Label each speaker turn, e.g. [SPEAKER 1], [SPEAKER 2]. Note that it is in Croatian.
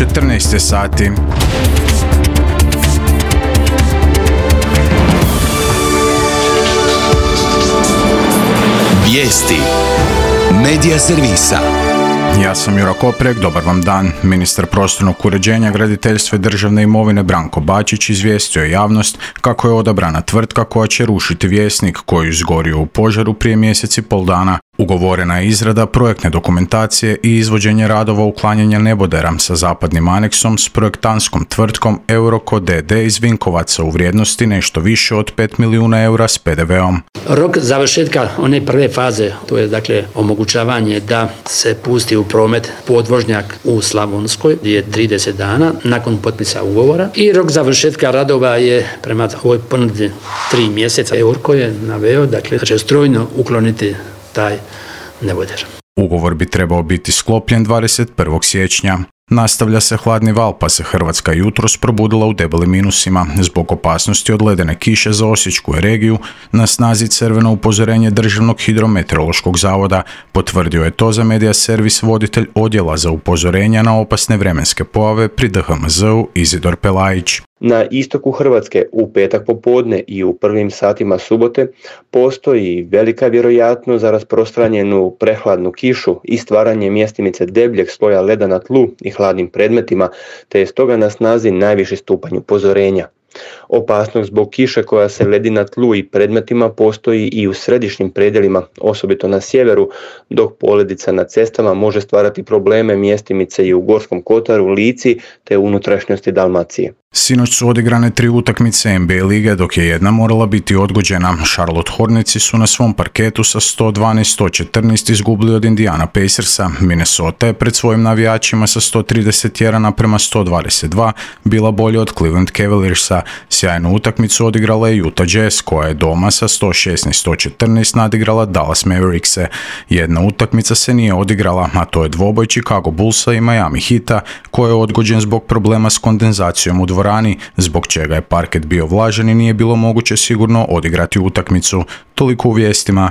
[SPEAKER 1] 14 sati.
[SPEAKER 2] Vijesti Medija servisa.
[SPEAKER 1] Ja sam Juro Koprek, dobar vam dan. Ministar prostornog uređenja, graditeljstva i državne imovine Branko Bačić izvijestio je javnost kako je odabrana tvrtka koja će rušiti Vjesnik koji je izgorio u požaru prije mjesec i pol dana. Ugovorena je izrada projektne dokumentacije i izvođenje radova uklanjanja nebodera sa zapadnim aneksom s projektantskom tvrtkom Euroko d.d. iz Vinkovaca u vrijednosti nešto više od 5 milijuna eura s PDV-om.
[SPEAKER 3] Rok završetka one prve faze, to je dakle omogućavanje da se pusti u promet podvožnjak u Slavonskoj, je 30 dana nakon potpisa ugovora, i rok završetka radova je prema ovoj ponudi 3 mjeseca. Euroko je naveo dakle da će strojno ukloniti taj neboder.
[SPEAKER 1] Ugovor bi trebao biti sklopljen 21. siječnja. Nastavlja se hladni val pa se Hrvatska jutros probudila u debelim minusima. Zbog opasnosti od ledene kiše za Osječku regiju na snazi crveno upozorenje Državnog hidrometeorološkog zavoda. Potvrdio je to za Medija servis voditelj odjela za upozorenja na opasne vremenske pojave pri DHMZ-u Izidor Pelajić.
[SPEAKER 4] Na istoku Hrvatske u petak popodne i u prvim satima subote postoji velika vjerojatnost za rasprostranjenu prehladnu kišu i stvaranje mjestimice debljeg sloja leda na tlu i hladnim predmetima, te je stoga na snazi najviši stupanj upozorenja. Opasnost zbog kiše koja se ledi na tlu i predmetima postoji i u središnjim predjelima, osobito na sjeveru, dok poledica na cestama može stvarati probleme mjestimice i u Gorskom kotaru, Lici te u unutrašnjosti Dalmacije.
[SPEAKER 1] Sinoć su odigrane 3 utakmice NBA lige, dok je jedna morala biti odgođena. Charlotte Hornetsi su na svom parketu sa 112-114 izgubili od Indiana Pacersa. Minnesota je pred svojim navijačima sa 131-122 bila bolja od Cleveland Cavaliersa. Sjajnu utakmicu odigrala je Utah Jazz, koja je doma sa 116-114 nadigrala Dallas Maverickse. Jedna utakmica se nije odigrala, a to je dvoboj Chicago Bullsa i Miami Heata, koji je odgođen zbog problema s kondenzacijom u dvorani, zbog čega je parket bio vlažan i nije bilo moguće sigurno odigrati utakmicu. Toliko u vijestima.